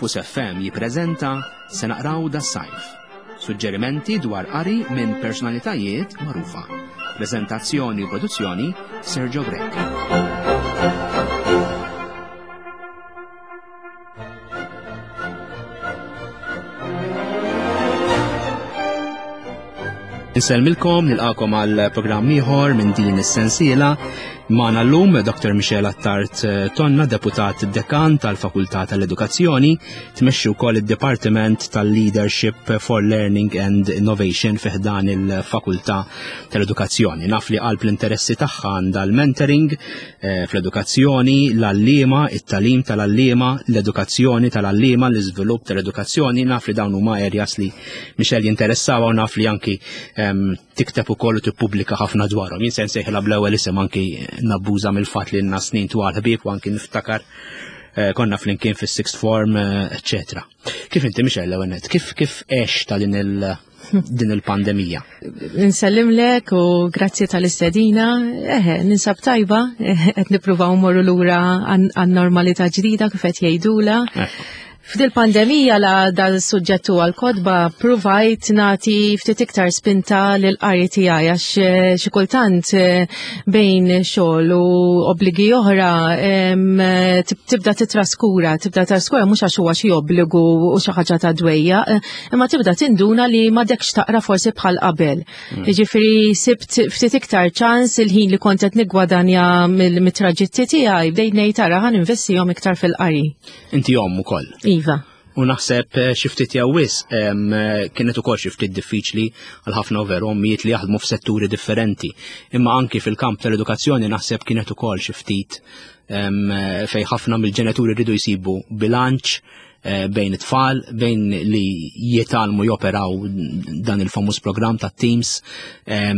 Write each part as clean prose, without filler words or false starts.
Campus FM jippreżenta Se naqraw das-sajf. Suġġerimenti dwar qari minn personalitajiet magħrufa. Preżentazzjoni u produzzjoni Sergio Grech. Insellmilkom, nilqakom għal programm ieħor minn din is-sensiela. Magħna llum Dr. Michelle Attard eh, Tonna, deputat dekan tal-Fakultà tal-Edukazzjoni, tmexxi wkoll id-Dipartiment tal-Leadership for Learning and Innovation fi ħdan il-Fakultà tal-Edukazzjoni. Naf li qalb l-interessi tagħha għandha l-mentoring eh, fl-edukazzjoni, l-għalliema, it-talim tal-għalliema, l-edukazzjoni tal-għalliema, l-iżvilupp tal-edukazzjoni, naf li dawn huma areas li Michelle jinteressawa u naf li anki ehm, tikteb ukoll u tippubblika ħafna dwarhom. Jien se nsejħilha bl-ewwel isem anki nabbuża mill-fatt li lna snin twal ħbieb u anki niftakar eh, konna flimkien fis-sixth form, eccetera. Kif inti Michelle l-ewwel Kif kif għex ta' din il- din il-pandemija? Nsellimlek u grazzi tal-istedina. Eħe, ninsab tajba, qed nippruvaw morru lura għan-normalità ġdida kif qed jgħidula. F'dil pandemija la dal-suġġett huwa l-kotba pruvajt nagħti ftit iktar spinta lil qari tiegħi għax eh, xi kultant eh, bejn xogħol u obbligi oħra tibda titraskura, tibda traskura mhux għax huwa xi obbligu u xi ħaġa ta' dwejja, eh, imma tibda tinduna li m'għadekx taqra forsi bħal qabel. Mm. Jiġifieri sibt ftit iktar ċans il-ħin li kont qed niggwadanja mill-traġitti tiegħi bdejt ngħid ara ħan investihom iktar fil-qari. Inti omm ukoll. Iva. U naħseb eh, xi ftit jew wisq eh, kienet ukoll xi ftit diffiċli għal ħafna veru ommijiet li jaħdmu f'setturi differenti. Imma anki fil-kamp tal-edukazzjoni naħseb kienet ukoll xi ftit eh, fej ħafna mill-ġenituri rridu jsibu bilanċ Eh, bejn it-tfal, bejn li jitalmu joperaw dan il-famuż program ta' Teams, eh,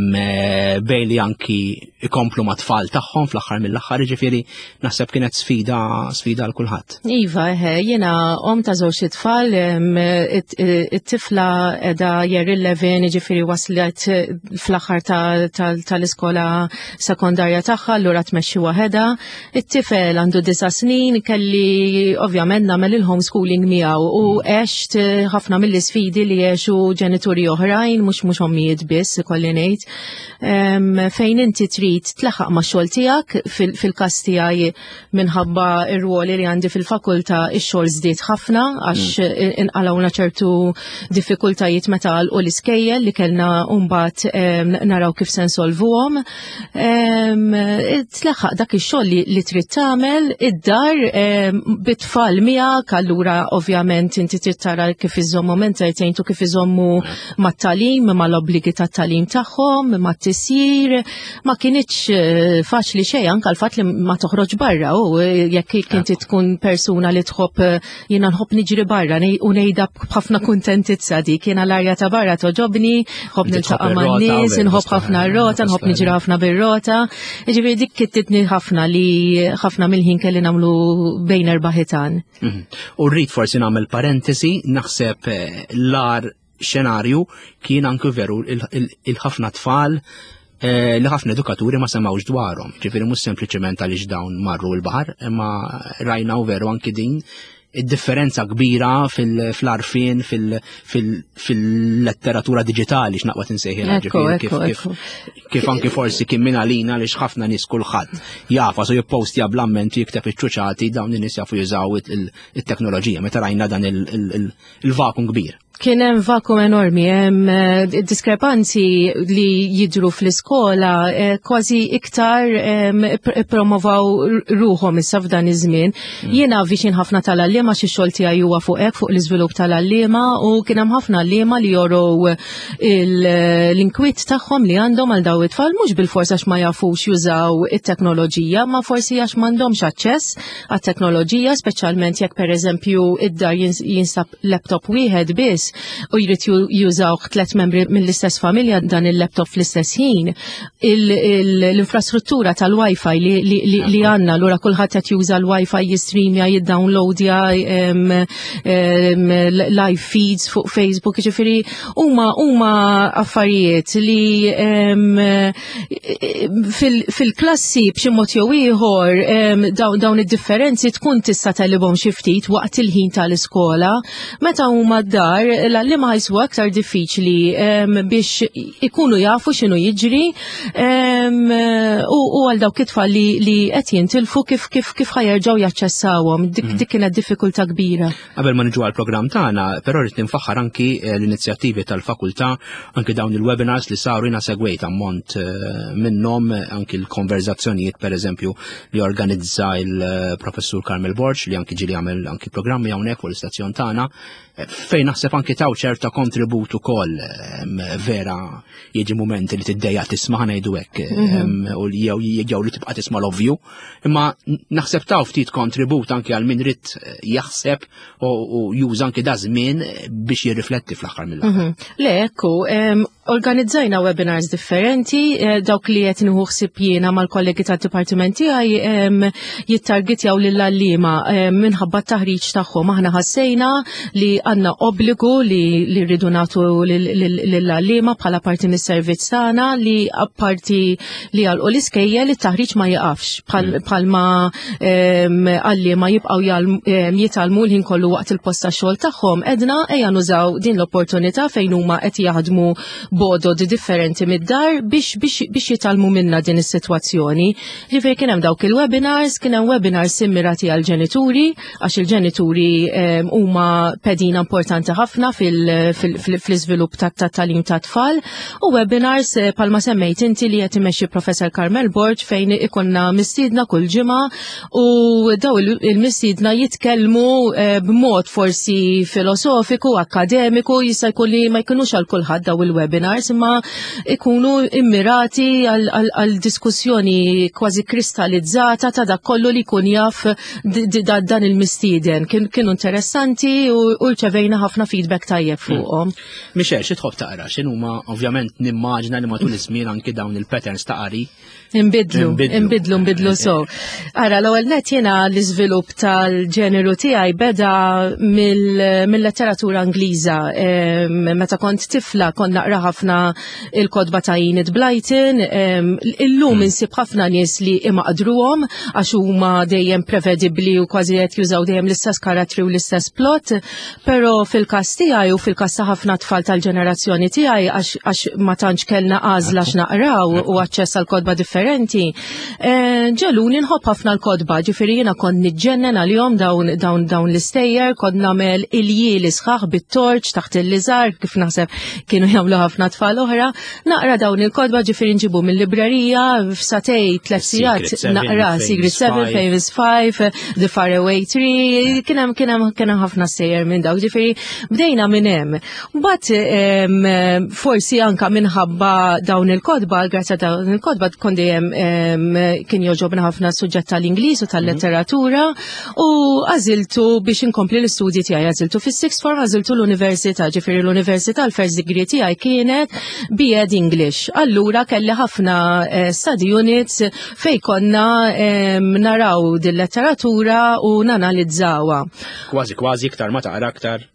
bejn li anki ikomplu ma' tfal tagħhom fl-aħħar mill-aħħar, ġifieri naħseb kienet sfida sfida għal kulħadd. Iva, eh, jiena om ta' żewġ it-tfal, it-tifla edha year 11, ġifieri waslet fl-aħħar tal-iskola sekondarja tagħha, allura tmexxi waħedha. It-tifel għandu disa snin, kelli ovvjament nagħmel il-homeschooling miegħu u mm. għext eh, ħafna mill-isfidi li għexu ġenituri oħrajn, mhux mhux ommijiet biss, ikolli ngħid. Fejn inti trid tlaħaq ma' xogħol tiegħek fil-każ tiegħi minħabba r-ruoli li għandi fil-fakultà ix-xogħol żdied ħafna għax mm. inqalawna ċertu diffikultajiet meta u l-iskejjel li kellna mbagħad naraw kif se nsolvuhom. Tlaħħaq dak ix-xogħol li trid tagħmel id-dar bit-tfal miegħek, allura ovvjament inti trid tara kif iżommu entertained u kif iżommu mat-talim, mal-obbligi tat-talim tagħhom, mat-tisjir. Ma kinitx eh, faċli xejn anke l-fatt li ma toħroġ barra u eh, jekk inti tkun persuna li tħobb eh, Jiena nħobb niġri barra u ngħidha b'ħafna kuntentizza dik. Jiena l-arja ta' barra toġobni, nħobb niltaqa' man-nies, inħobb ħafna r-rota, nħobb niġri ħafna bir-rota. Jiġifieri dik kittitni ħafna li ħafna mill-ħin kelli nagħmlu bejn erba' ħitan. Mhm. U rrid forsi nagħmel parentesi, naħseb eh, l-ar xenarju kien anke veru il-ħafna tfal eh, li ħafna edukaturi ma semawx dwarhom. Ġifieri mhux sempliċement għaliex dawn marru l-baħar, imma rajna u veru anki din id-differenza kbira fil-arfin, fil-letteratura digitali x'naqwa tinsejħilha ġifieri kif anki forsi kien minn għalina li ħafna nies kulħadd jafa so jippostja bl-amment jikteb iċ-ċuċati dawn in-nies jafu jużaw it-teknoloġija meta rajna dan il-vakum kbir. Kien hemm vakum enormi, hemm eh, diskrepanzi li jidru fl-iskola eh, kważi iktar promovaw ruħhom issa f'dan iż-żmien. Mm. Jiena viċin ħafna tal-għalliema xi xogħol tiegħi huwa fuq hekk fuq l-iżvilupp tal-għalliema u kien hemm ħafna għalliema li jorow l-inkwiet tagħhom li għandhom għal daw it-tfal mhux bil-fors għax ma jafux jużaw it-teknoloġija, ma forsi għax m'għandhomx aċċess għat-teknoloġija, speċjalment jekk pereżempju id-dar jinsab laptop wieħed biss. u jrid jużawh tlet membri mill-istess familja dan il-laptop fl-istess ħin, l-infrastruttura tal-Wi-Fi li għandna, lura kulħadd qed juża l-Wi-Fi jistreamja, jiddownloadja live feeds fuq Facebook, ġifieri huma huma affarijiet li fil-klassi b'xi mod jew ieħor dawn id-differenzi tkun tista' telibhom xi ftit waqt il-ħin tal-iskola. Meta huma d-dar, l-għalliema ħajsu aktar diffiċli biex ikunu jafu x'inhu jiġri u għal dawk it-tfal li qed jintilfu kif kif kif ħajerġgħu jaċċessawhom. Dik mm. kienet diffikultà kbira. Qabel ma niġu għall-programm tagħna, però rrid ninfaħħar anki eh, l-inizjattivi tal-fakultà, anki dawn il-webinars li saru jiena segwejt ammont eh, minnhom eh, anki l-konverzazzjonijiet pereżempju li organizza il-professur Carmel Borg li anki ġieli għamel anki programmi hawnhekk fuq l-istazzjon tagħna fejn naħseb anki taw ċerta kontribut ukoll vera jiġi mumenti li tiddejja tisma' ngħidu hekk mhm. u jew jew li tibqa' tisma' l-ovvju. Imma naħseb taw ftit kontribut anki għal min rid eh, jaħseb u juża anki da żmien biex jirrifletti fl-aħħar mill-aħħar. Mhm. Le, ekku, Organizzajna webinars differenti, eh, dawk li qed nieħu ħsieb jiena mal-kollegi tad-dipartiment tiegħi jittargetjaw lill-għalliema minħabba t-taħriġ tagħhom. Aħna ħassejna li għandna obbligu li rridu nagħtu lill-għalliema bħala parti mis-servizz tagħna li apparti li għalqu l-iskejjel it-taħriġ ma jiqafx mm. bħalma għalliema jibqgħu jitgħallmu l-ħin kollu waqt il-post tax-xogħol tagħhom. Edna ejja nużaw din l-opportunità fejn huma qed jaħdmu b'għodod differenti mid-dar biex biex biex jitgħallmu minna din is-sitwazzjoni. Ġifieri kien hemm dawk il-webinars, kien hemm webinars immirati għal ġenituri, għax il-ġenituri huma pedina importanti ħafna fil-iżvilupp tat-tagħlim tat-tfal u webinars eh, palma semmejt inti li qed imexxi Professor Carmel Borg fejn ikonna mistiedna kull ġimgħa u daw il-mistiedna jitkellmu eh, b'mod forsi filosofiku, akademiku, jista' jkun li ma jkunux għal kulħadd daw il-webinars imma ikunu immirati għal diskussjoni kważi kristallizzata ta' dak kollu li jkun jaf dan il-mistieden. Kienu interessanti u rċevejna ħafna feedback tajjeb hmm. fuqhom. Michelle, xi tħobb taqra? X'inhuma ovvjament nimmaġna li matul iż-żmien anki dawn il-patterns ta' qari Imbidlu, imbidlu, imbidlu so. Ara, l-ewwel net jiena l-iżvilupp tal-ġeneru tiegħi beda mill-letteratura Ingliża. Meta kont tifla kont naqra ħafna il-kotba ta' Enid Blyton. Illum hmm. insib ħafna nies li imaqdruhom għax huma dejjem prevedibbli u kważi qed jużaw dejjem l-istess karattri u l-istess plot. Però fil-każ tiegħi u fil-każ ta' ħafna tfal tal-ġenerazzjoni tiegħi għax ma tantx kellna għażla x'naqraw u aċċess għal kotba differenti, eh, ġeluni nħobb ħafna l-kotba, ġifieri jiena kont niġġennen għalihom dawn dawn dawn l-istejjer, kont nagħmel iljieli sħaħ bit-torċ taħt il-liżar kif naħseb kienu jagħmlu ħafna tfal oħra, naqra dawn il-kotba ġifieri nġibu mill-librerija f'satej tliet sigħat naqra Secret Seven, Famous Five, The Faraway Tree, kien hemm kien hemm kien hemm ħafna sejjer minn dawk, ġifieri bdejna minn hemm. Mbagħad forsi anka minħabba dawn il-kotba, grazzi dawn il-kotba kont dejjem kien joġobna ħafna suġġett tal-Ingliż u tal-letteratura u għażiltu biex inkompli l-istudji tiegħi, għażiltu fis-sixth form, għażiltu l-università, ġifieri l-università l-first degree tiegħi kienet B.Ed English. Allura kelli ħafna eh, study units fej konna naraw din letteratura u nanalizzawha. Kważi kważi iktar ma taqra aktar.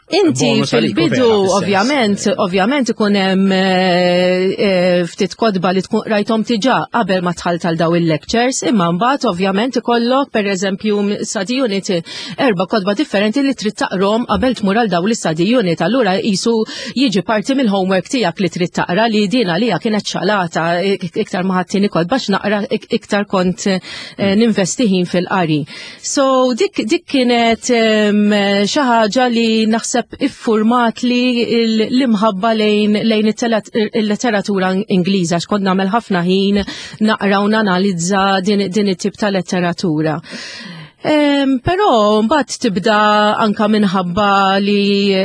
Inti fil-bidu, ovvjament, ovvjament ikun hemm eh, eh, ftit kotba li tkun rajthom diġà qabel ma tħall tal daw il-lectures, imma mbagħad ovvjament ikollok pereżempju study unit erba' kotba differenti li trid taqrom qabel tmur għal daw l-study unit. Allura jisu jiġi parti mill-homework tiegħek li trid taqra li din għalija kienet xalata iktar ma ħaddini kotba naqra iktar kont eh, ninvesti ħin fil-qari. So dik, dik kienet xi ħaġa li naħseb iffurmat li l-imħabba lejn, lejn il-letteratura Ingliża x'kont nagħmel ħafna ħin naqra u nanalizza din, din it-tip ta' letteratura. Però mbagħad tibda anka minħabba li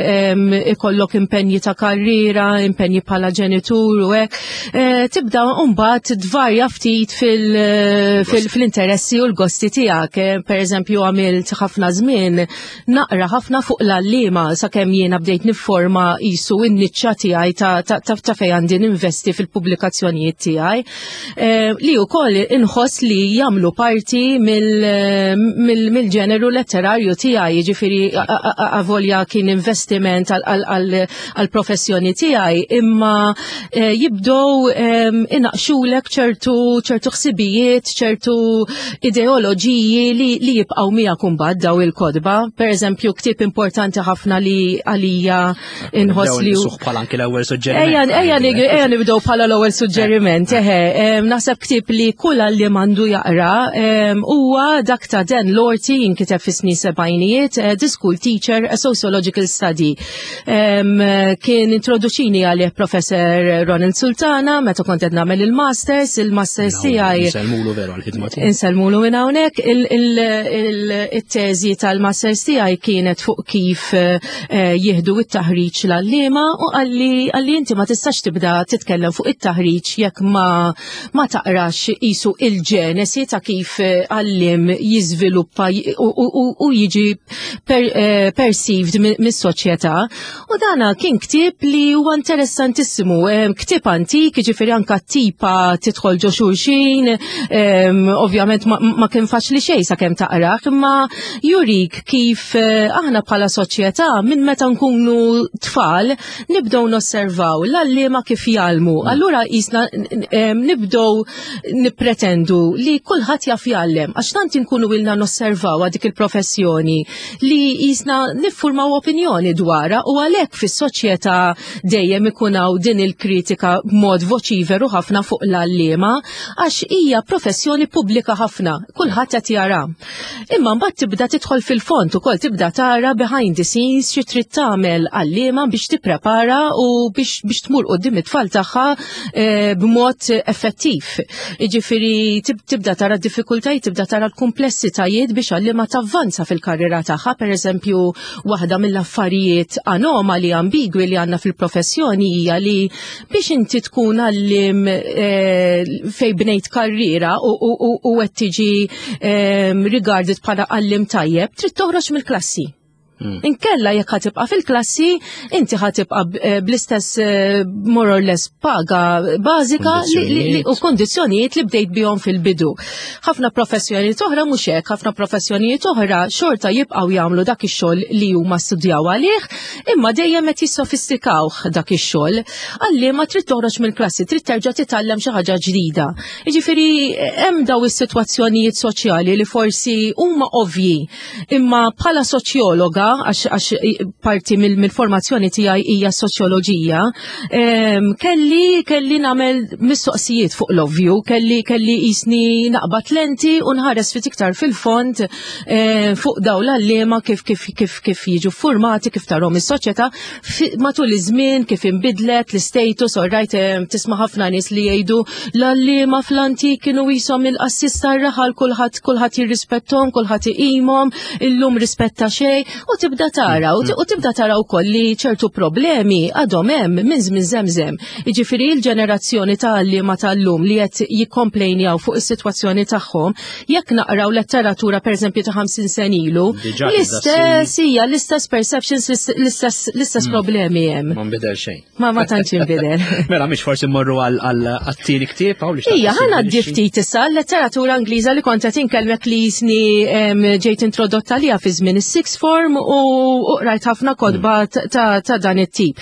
ikollok impenji ta' karriera, impenji bħala ġenitur u hekk, eh, tibda mbagħad tvarja ftit fil-interessi u l-gosti tiegħek. Eh, per eżempju għamilt ħafna żmien naqra ħafna fuq l-għalliema sakemm jiena bdejt nifforma qisu n-niċċa tiegħi ta' fejn għandi ninvesti fil-pubblikazzjonijiet tiegħi. Eh, li wkoll inħoss li jagħmlu parti mill-ġeneru letterarju tiegħi, jiġifieri avolja kien investiment għall-professjoni tiegħi, imma eh, jibdew ehm, inaqxulek ċertu ċertu ħsibijiet, ċertu ideoloġiji li, li jibqgħu miegħek imbagħad daw il-kodba. Per eżempju, ktieb importanti ħafna li għalija inħoss li. Suħ bħala anki l-ewwel suġġeriment. Ejja, ejja, ejja nibdew bħala l-ewwel suġġeriment, eħe, naħseb ktieb li kull li mandu jaqra huwa dak ta' Dan Lorty jinkiteb fis-snin sebgħinijiet, eh, The School Teacher, a Sociological Study. Kien introduċini għalih Professor Ronald Sultana meta kont qed nagħmel il-masters, il-masters tiegħi. Insellmulu veru għall-ħidma tiegħu. Insellmulu minn hawnhekk il-teżi tal-masters tiegħi kienet fuq kif eh, jieħdu it-taħriġ l-għalliema u għalli għalli inti ma tistax tibda titkellem fuq it-taħriġ jekk ma ma taqrax isu il-ġenesi ta' kif eh, għallim jiżviluppa u jiġi per, eh, perceived mis-soċjetà. U dana kien ktieb li huwa interessantissimu, eh, ktieb antik, jiġifieri anka tipa tidħol ġo xulxin, eh, ovvjament ma, ma kien faċli xejn sakemm taqrah, imma jurik kif aħna bħala soċjetà minn meta nkunu tfal nibdew nosservaw l-għalliema kif jgħallmu. Allura jisna nibdew nippretendu li kulħadd jaf jgħallem għax tant inkunu ilna nosservaw dik il-professjoni li jisna niffurmaw opinjoni dwarha u għalhekk fis-soċjetà dejjem ikun hawn din il-kritika b'mod voċiveru ħafna fuq l-għalliema għax hija professjoni pubblika ħafna, kulħadd qed jara. Imma mbagħad tibda tidħol fil-fond ukoll tibda tara behind the scenes xi trid tagħmel għalliema biex tipprepara u biex, biex tmur quddiem it-tfal tagħha eh, b'mod effettiv. Jiġifieri tibda tara d-diffikultajiet, tibda tara l-kumplessitajiet biex għalliema tavvanza fil-karriera tagħha, pereżempju waħda mill-affarijiet anomali ambigwi li għandna fil-professjoni hija li biex inti tkun għallim eh, fej bnejt karriera u qed tiġi eh, regarded bħala għallim tajjeb, trid toħroġ mill-klassi. Hmm. Inkella jekk ħatibqa' fil-klassi, inti ħatibqa' eh, bl-istess eh, more or less paga bażika u kondizzjonijiet li bdejt bihom fil-bidu. Ħafna professjonijiet oħra mhux hekk, ħafna professjonijiet oħra xorta jibqgħu jagħmlu dak ix-xogħol li huma studjaw għalih, imma dejjem qed jissofistikawh dak ix-xogħol. Għalliema trid toħroġ mill-klassi, trid terġa' titgħallem xi ħaġa ġdida. Jiġifieri hemm daw is-sitwazzjonijiet soċjali li forsi huma ovvji Imma bħala soċjologa, għax parti mill-formazzjoni tiegħi hija soċjoloġija, kelli kelli nagħmel mistoqsijiet fuq l-ovvju, kelli kelli jisni naqbad lenti u nħares fit iktar fil-fond fuq daw l-għalliema kif kif kif kif jiġu formati, kif tarhom is-soċjetà matul iż-żmien kif inbidlet l-istatus, all right, tisma' ħafna nies li jgħidu l-għalliema fl-antik kienu jisom il-qassis tar-raħal kulħadd kulħadd jirrispettom, kulħadd iqimhom, illum rispetta xejn, u tibda tara, u mm. tibda tara wkoll li ċertu problemi għadhom hemm minn żmien żemżem. Jiġifieri l-ġenerazzjoni ta' għalliema tal-lum li qed jikkomplejnjaw fuq is-sitwazzjoni tagħhom Jekk naqraw letteratura pereżempju ta' 50 sen ilu, l-istess hija l-istess perceptions, l-istess mm. problemi hemm. Ma nbidel xejn. Ma ma tantx inbidel. Mela mhix forsi mmorru għal-tieni ktieb hawn li Ija, ħana ftit issa l-letteratura Ingliża li kont qed inkellmek li jisni ġejt introdotta lija fi żmien is-sixth form u qrajt ħafna kodba mm. ta' dan it-tip.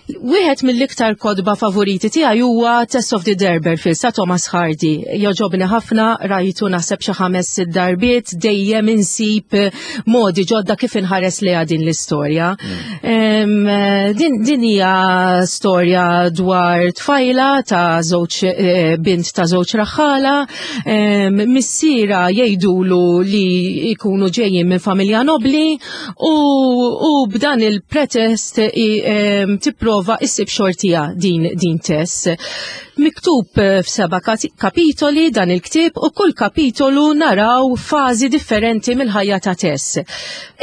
Wieħed mill-iktar kotba favoriti tiegħi huwa Tess of the D'Urbervilles ta' Thomas Hardy. Jogħġobni ħafna, rajtu naħseb xi ħames sitt darbiet, dejjem insib modi ġodda kif inħares lejha din l-istorja. Mm. Din, din hija storja dwar tfajla ta' żewġ eh, bint ta' żewġ raħħala, missiera jgħidulu li jkunu ġejjin minn familja nobli u, u b'dan il-pretest tipprova tipprova issib xortija din din Tess. Miktub eh, f'seba' kapitoli dan il-ktieb u kull kapitolu naraw fażi differenti mill-ħajja ta' Tess.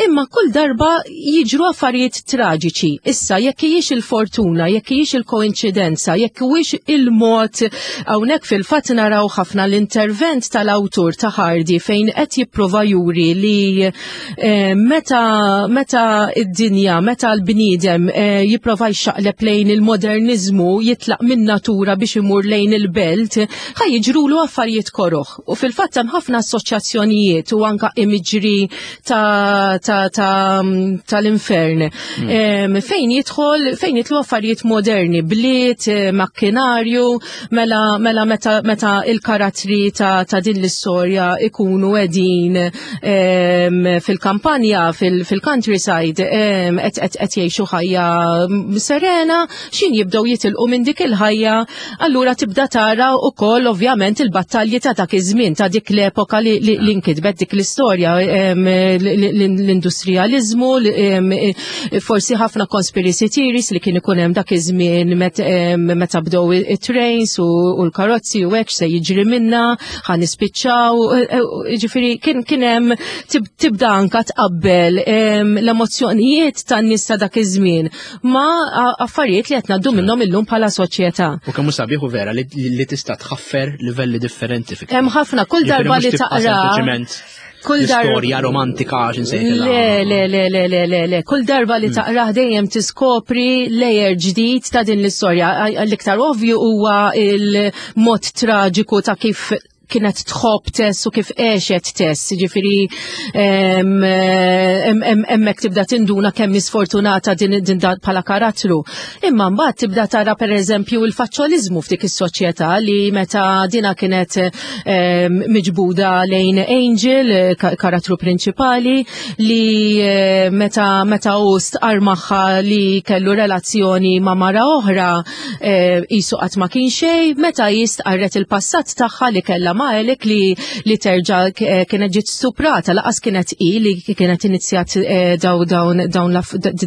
Imma kull darba jiġru affarijiet traġiċi. Issa jekk hijiex il-fortuna, jekk hijiex il-koinċidenza, jekk huwiex il-mod hawnhekk fil-fatt naraw ħafna l-intervent tal-awtur ta' Hardy fejn qed jipprova juri li eh, meta meta id-dinja, meta l-bniedem eh, jipprova jxaqleb lejn il-modernizmu, jitlaq minn natura biex imur lejn il-belt, ħa jiġrulu affarijiet koroħ. U fil-fatt hemm ħafna assoċjazzjonijiet u anka imiġri tal-infern. Fejn jidħol, fejn jitlu affarijiet moderni, bliet, eh, makkinarju, mela, mela meta, meta il-karattri ta', ta din l-istorja ikunu edin fil-kampanja, fil-countryside, qed jgħixu ħajja serena, xin jibdew jitilqu minn dik il-ħajja, allura tibda tara wkoll ovvjament il-battalji ta' dak iż-żmien, ta' dik l-epoka li, li, li nkitbet dik l-istorja, l-industrijaliżmu, forsi ħafna conspiracy theories li kien ikun hemm dak iż-żmien meta bdew it-trains u l-karozzi u hekk se jiġri minna, ħa nispiċċaw, e, e, ġifieri kien hemm tibda anka tqabbel l-emozzjonijiet tan-nies ta' dak iż-żmien ma affarijiet li qed ngħaddu minnhom illum bħala soċjetà. U kemm sabiħ u vera li tista' tħaffer livelli differenti fi. Hemm ħafna kull darba li taqra. Kull darba storja romantika għax insejtilha. Le, le, le, le, le, le, le. Kull darba li taqrah dejjem tiskopri layer ġdid ta' din l-istorja. L-iktar ovvju huwa il-mod traġiku ta' kif kienet tħobb Tess u kif għexet Tess, ġifiri hemmhekk tibda tinduna kemm sfortunata din din bħala karattru. Imma mbagħad tibda tara pereżempju il-faċċoliżmu f'dik is-soċjetà li meta dina kienet miġbuda lejn Angel, karattru prinċipali, li eh, meta meta hu stqar magħha li kellu relazzjoni ma' mara oħra qisu qatt ma kien xejn, meta hi stqarret il-passat tagħha li kellha ma' Alec li li terġa' eh, kienet ġiet stuprata laqas kienet hi li kienet inizjat eh, daw dawn dawn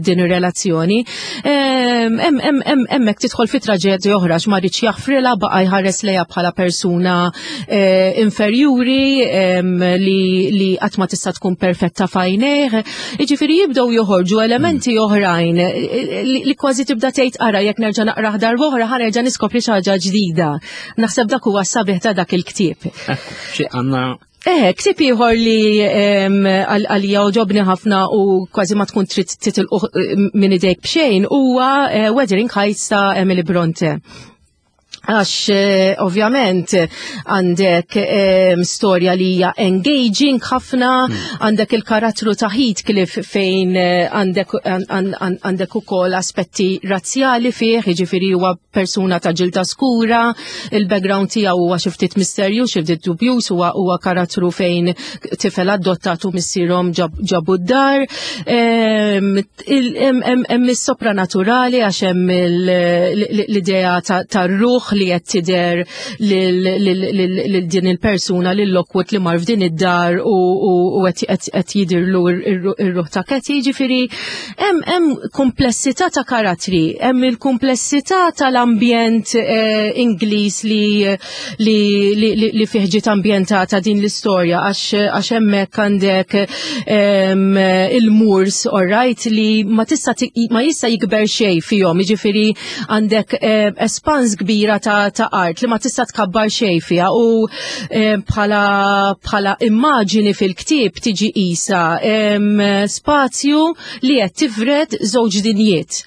din ir-relazzjoni. Hemmhekk tidħol fi traġedja oħra x'ma rridx jaħfrilha baqa' jħares lejha bħala persuna eh, inferjuri li li qatt ma tista' tkun perfetta f'għajnejh. Jiġifieri jibdew joħorġu elementi oħrajn eh, eh, li kważi tibda tgħid ara jekk nerġa' naqrah darb'oħra ħa nerġa' niskopri xi ħaġa ġdida. Naħseb dak huwa sabiħ ta' dak il-ktieb. Xi għandna Eh, ktieb ieħor li għalija oġobni ħafna u kważi ma tkun trid titilqu eh, minn idejk b'xejn huwa Wuthering Heights ta' Emily Bronte għax eh, ovvjament għandek eh, storja li hija engaging ħafna, għandek il-karattru ta' Heathcliff fejn eh, għandek għandek ukoll aspetti razzjali fih, jiġifieri huwa persuna ta' ġilda skura, il-background tiegħu huwa xi ftit misterju, xi ftit dubjuż, huwa huwa karattru fejn tifel adottatu missierhom ġabu d-dar. Hemm is-sopranaturali għax hemm l-idea tar-ruħ li qed tidher lil din il-persuna lil Lockwood li mar f'din id-dar u qed jidirlu ir-ruħ ta' Katie, jiġifieri hemm komplessità ta' karattri, hemm il-komplessità tal-ambjent eh, Ingliż li li fih ġiet ambjentata din l-istorja għax hemmhekk għandek il-murs alright li ma tista' ma jista' jikber xejn fihom, jiġifieri għandek espans kbira ta' art li ma tista' tkabbar xejn fiha u bħala bħala immaġini fil-ktieb tiġi qisha spazju li qed tifred żewġ dinjiet.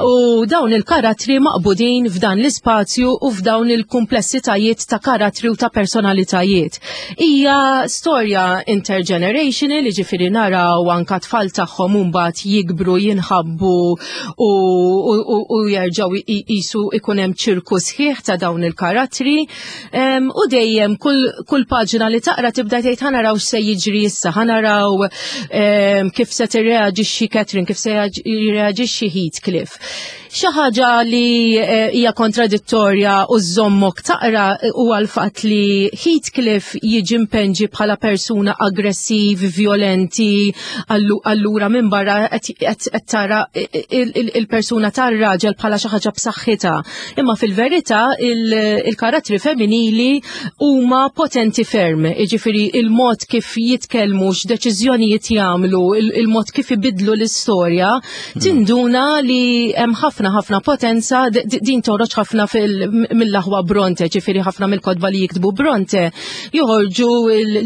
U dawn il-karattri maqbudin f'dan l-ispazju u f'dawn il-kumplessitajiet ta' karattri u ta' personalitajiet. Hija storja intergenerational, jiġifieri naraw anka tfal tagħhom mbagħad jikbru, jinħabbu u, u, u, u jerġgħu jisu ikun hemm ċirku sħiħ ta' dawn il-karattri. U dejjem kull, kull paġna li taqra tibda tgħid ħa naraw x'se jiġri issa, ħa naraw kif se tirreaġixxi Catherine, kif se jirreaġixxi Heathcliff. Xi ħaġa li eh, hija kontradittorja u żommok taqra eh, huwa l-fatt li Heathcliff jiġi mpenġi bħala persuna aggressiv, violenti, allura minn barra qed tara il-persuna tar-raġel bħala xi ħaġa b'saħħitha. Imma fil-verità il-karattri femminili huma potenti ferm, jiġifieri il-mod kif jitkellmu, x'deċiżjonijiet jagħmlu, il-mod kif ibidlu l-istorja, Tinduna li hemm ħafna ħafna potenza din toħroġ ħafna mill-aħwa Bronte, ġifieri ħafna mill-kotba li jiktbu Bronte joħorġu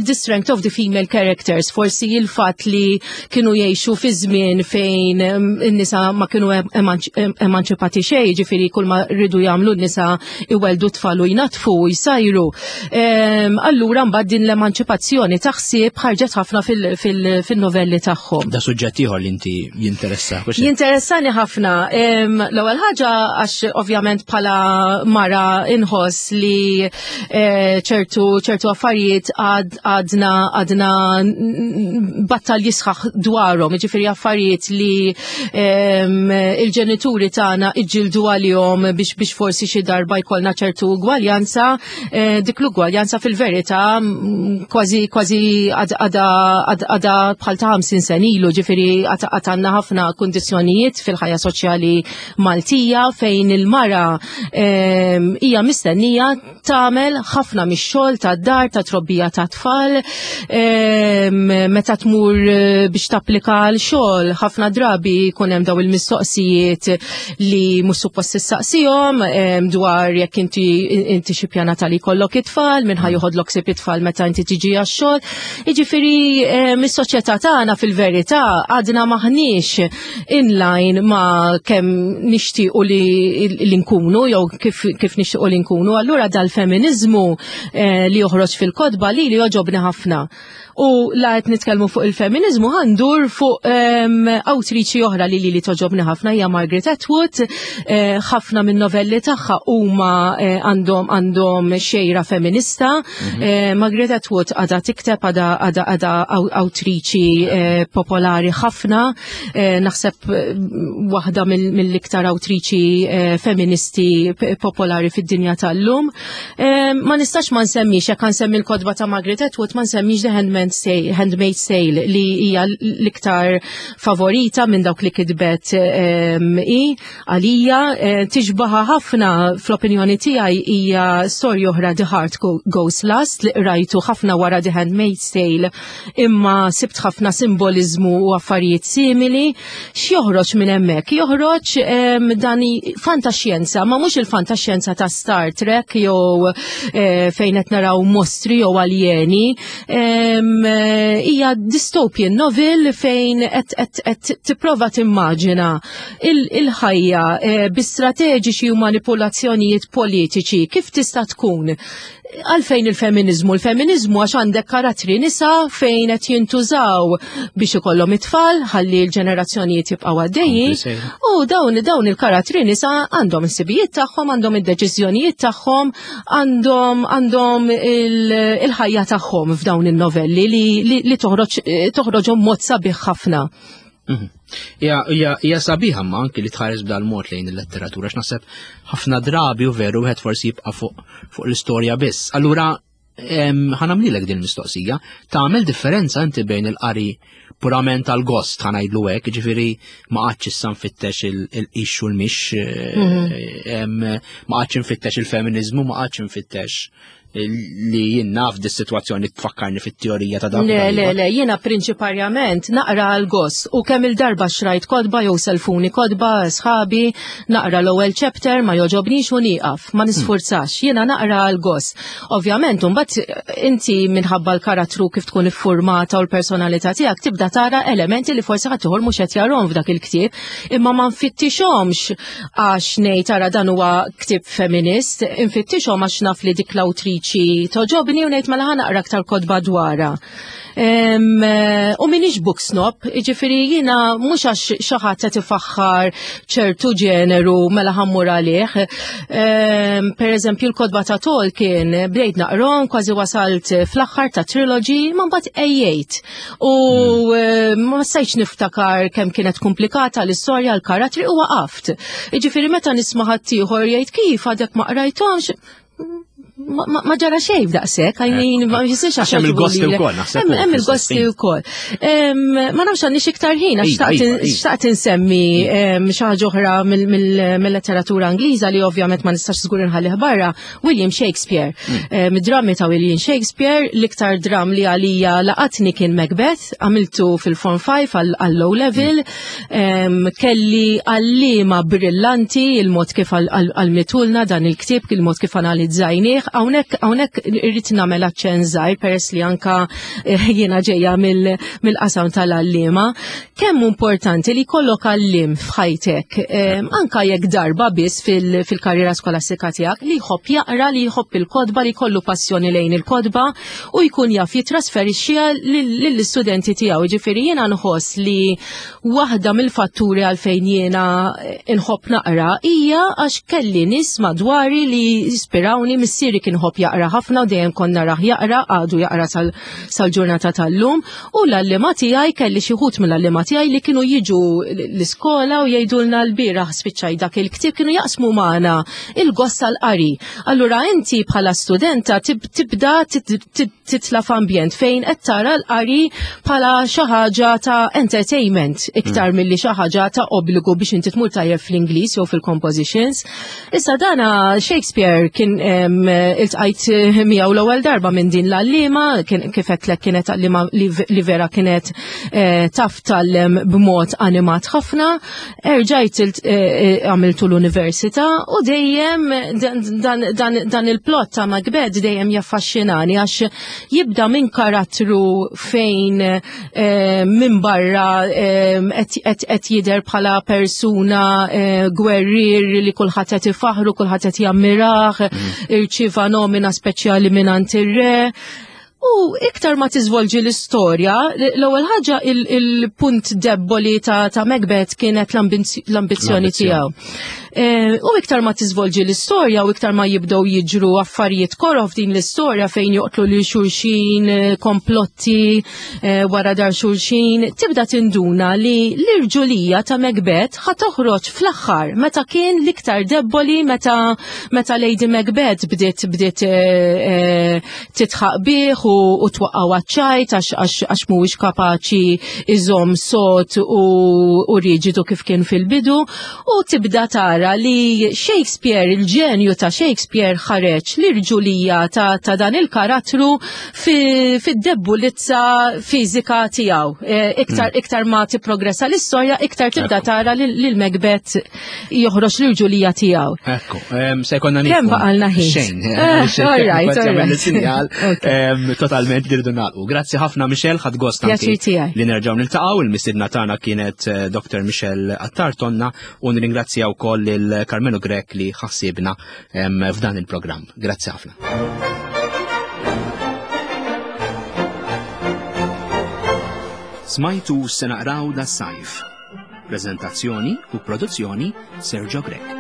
the strength of the female characters, forsi il-fatt li kienu jgħixu fi żmien fejn in-nisa ma kienu emanċipati xejn, ġifieri kull ma rridu jagħmlu n-nisa iweldu tfal u jnatfu u jsajru. Allura mbagħad din l-emanċipazzjoni taħsib ħarġet ħafna fil-novelli tagħhom. Da suġġett ieħor li inti jinteressa. Jinteressani ħafna. L-ewwel ħaġa għax ovvjament bħala mara inħoss li eh, ċertu ċertu affarijiet għadna għadna battalji sħaħ dwarhom, jiġifieri affarijiet li il-ġenituri tagħna iġġildu għalihom biex biex forsi xi darba jkollna ċertu ugwaljanza, eh, dik l-ugwaljanza fil-verità mm, kważi kważi għada bħal ta' 50 sen ilu, ġifieri għad għandna ħafna kundizzjonijiet fil-ħajja soċjali Maltija fejn il-mara hija mistennija tagħmel ħafna mix-xogħol tad-dar, ta' trobbija ta' tfal, meta tmur eh, biex tapplika għal xogħol, ħafna drabi jkun hemm daw il-mistoqsijiet li mhux suppost tistaqsihom dwar jekk inti inti xi pjanata li jkollok it-tfal, minn ħa joħodlok sib it-tfal meta inti tiġi għax-xogħol. Jiġifieri is-soċjetà tagħna fil-verità għadna maħniex in line ma kemm nixtiequ li, li nkunu jew kif, kif nixtiequ li nkunu. Allura dal-feminizmu eh, li joħroġ fil-kotba li li joġobni ħafna. U la qed nitkellmu fuq il-feminizmu ħandur fuq um, awtriċi oħra li li li toġobni ħafna hija Margaret Atwood, eh, ħafna minn novelli tagħha huma eh, għandhom għandhom xejra feminista. Mm -hmm. eh, Margaret Atwood għadha tikteb għadha għadha awtriċi eh, popolari ħafna. Eh, naħseb eh, waħda mill-iktar awtriċi eh, feministi popolari fid-dinja tal-lum. Ma nistax ma nsemmix, jekk nsemmi l-kodba ta' Margaret Atwood, ma nsemmix The Handmaid's Tale li hija l-iktar favorita minn dawk li kitbet i għalija tixbaħa ħafna fl-opinjoni tiegħi hija storja oħra The Heart Goes Last li qrajtu ħafna wara The Handmaid's Tale imma sibt ħafna simboliżmu u affarijiet simili. X'joħroġ minn hemmhekk? Joħroġ dan fantaxjenza, ma mhux il-fantaxjenza ta' Star Trek jew eh, fejn qed naraw mostri jew aljeni. Eh, hija dystopian novel fejn qed tipprova timmaġina il-ħajja eh, bi strateġiċi u manipulazzjonijiet politiċi kif tista' tkun Għalfejn il-feminizmu? Il-feminizmu għax għandek karattri nisa fejn qed jintużaw biex ikollhom it-tfal ħalli l-ġenerazzjonijiet jibqgħu għaddejjin. U dawn dawn il-karattri nisa għandhom is-sibijiet tagħhom, għandhom id-deċiżjonijiet tagħhom, għandhom għandhom il-ħajja tagħhom f'dawn in-novelli li, li, li toħroġ toħroġhom mod sabiħ ħafna. Mhm. Hija sabiħa ma anki li tħares b'dal mod lejn il-letteratura x'naħseb ħafna drabi u veru wieħed forsi jibqa' fuq fuq l-istorja biss. Allura ħanamlilek din mistoqsija, tagħmel differenza inti bejn il-qari purament għal gost ħanajdlu hekk, ġifieri ma qgħadx issa nfittex il-ix u l-mix, mhm. ma qgħadx nfittex il-feminizmu, ma qgħadx nfittex li jien naf di situazzjoni tfakkarni fit-teorija ta' dak. Le, le, le, jiena prinċiparjament naqra għal gost u kemm il-darba xrajt kodba jew selfuni kodba sħabi, naqra l-ewwel chapter ma joġobnix u nieqaf, ma nisfurzax, jiena naqra għal gost. Ovvjament, mbagħad inti minħabba l-karattru kif tkun iffurmata u l-personalità tiegħek tibda tara elementi li forsi ħadd ieħor mhux qed jarhom f'dak il-ktieb, imma ma nfittixhomx għax ngħid ara dan huwa ktieb feminist, infittixhom għax naf li dik l-awtriċi l-awtriċi toġobni u ngħid mela ħa naqra aktar kotba dwarha. U minix book snob, ġifiri jina mux għax xaħat qed ifaħħar ċertu ġeneru mela ħammur għalih. Per eżempju l-kodba ta' Tolkien bdejt naqrom kważi wasalt fl-aħħar ta' trilogy ma mbagħad ejjejt. U hmm. ma stajtx niftakar kemm kienet komplikata l-istorja l-karattri u waqaft. Ġifiri meta nisma' ħaddieħor jgħid kif għadek ma qrajthomx, ma ġara xejn f'daqshekk, I mean, ma jisirx għax hemm il-gosti wkoll, naħseb. Hemm il-gosti wkoll. Ma nafx għandix iktar ħin għax iva, iva, iva. xtaqt insemmi xi ħaġa oħra mill-letteratura Ingliża li ovvjament ma nistax żgur inħallih barra, William Shakespeare. Mm. Drammi ta' William Shakespeare, l-iktar dram li għalija laqatni kien Macbeth, għamiltu fil-Form 5 għall-low level, mm. Kelli għallima brillanti il-mod kif għalmitulna dan il-ktieb, il-mod kif analizzajnieh. Hawnhekk hawnhekk irrid nagħmel aċċenn żgħir peress li anka eh, jiena ġejja mill-qasam tal-għalliema. Kemm importanti li jkollok għallim f'ħajtek, anka jekk darba biss fil-karriera skolastika tiegħek li jħobb jaqra, li jħobb il-kodba, li jkollu passjoni lejn il-kodba u jkun jaf jitrasferixxiha lill-istudenti tiegħu. Ġifieri jiena nħoss li waħda mill-fatturi għalfejn jiena nħobb naqra hija għax kelli nies madwari li jispirawni missieri kien ħobb jaqra ħafna u dejjem konna narah jaqra għadu jaqra sal-ġurnata tal-lum u l-għalliema tiegħi kelli xi wħud mill-għalliema tiegħi li kienu jiġu l-iskola u jgħidulna l-bieraħ spiċċaj dak il-ktieb kienu jaqsmu magħna il-gost tal-qari. Allura inti bħala studenta tibda titla f'ambjent fejn qed tara l-qari bħala xi ħaġa ta' entertainment iktar mm. milli xi ħaġa ta' obbligu biex inti tmur tajjeb fl-Ingliż jew fil-compositions. Issa dana Shakespeare kien iltqajt miegħu l-ewwel darba minn din l-għalliema kif qed kienet għalliema li vera kienet eh, taf tallem b'mod animat ħafna Erġajt eh, eh, għamiltu l-università u dejjem dan il-plot ta' Macbeth dejjem jaffaxxinani għax jibda minn karattru fejn eh, minn barra qed jidher bħala persuna gwerrier li kulħadd qed ifaħru, kulħadd qed jammirah, mm. irċieva nomina speċjali minn ir-re. U iktar ma tiżvolġi l-istorja, l-ewwel ħaġa il-punt debboli ta', ta Macbeth kienet l-ambizzjoni tiegħu. E, u iktar ma tiżvolġi l-istorja u iktar ma jibdew jiġru affarijiet korof din l-istorja fejn joqtlu lil xulxin, e, komplotti e, wara dar xulxin, tibda tinduna li l-irġulija ta' Macbeth ħa toħroġ fl-aħħar meta kien l-iktar debboli meta meta Lady Macbeth bdiet bdiet titħaq bih u twaqqgħu għaċ-ċajt għax mhuwiex kapaċi iżomm sod u riġidu kif kien fil-bidu u tibda tara li Shakespeare, il-ġenju ta' Shakespeare ħareġ l-irġulija ta' dan il-karattru fid-debbulizza fiżika tiegħu. E, iktar hmm. iktar ma tipprogressa l-istorja, iktar tibda tara lil Macbeth joħroġ l-irġulija tiegħu. Ekku, se jkollna nieħu. Kemm baqalna ħin? Xejn. Eh, all right, all right. Sinjal totalment li rridu nagħlqu. Grazzi ħafna Michelle, ħadd gost li nerġgħu niltaqgħu. Il-mistiedna tagħna kienet eh, Dr. Michelle Attar Tonna u nirringrazzja wkoll lil Carmelo Grek li ħassibna f'dan il-programm. Grazzi ħafna. Smajtu se naqraw da sajf. Prezentazzjoni u produzzjoni Sergio Grech.